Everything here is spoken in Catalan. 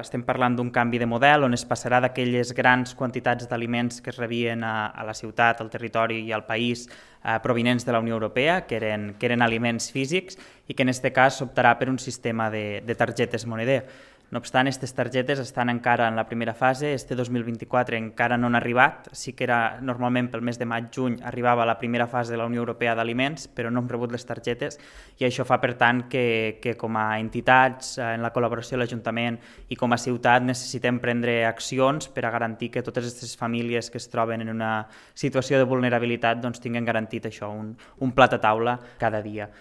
Estem parlant d'un canvi de model on es passarà d'aquelles grans quantitats d'aliments que es rebien a la ciutat, al territori i al país provinents de la Unió Europea, que eren aliments físics, i que en aquest cas s'optarà per un sistema de targetes moneder. No obstant, aquestes targetes estan encara en la primera fase, este 2024 encara no han arribat, sí que era normalment pel mes de maig-juny arribava la primera fase de la Unió Europea d'aliments, però no hem rebut les targetes i això fa per tant que com a entitats, en la col·laboració de l'Ajuntament i com a ciutat necessitem prendre accions per a garantir que totes aquestes famílies que es troben en una situació de vulnerabilitat doncs, tinguen garantit això, un plat a taula cada dia.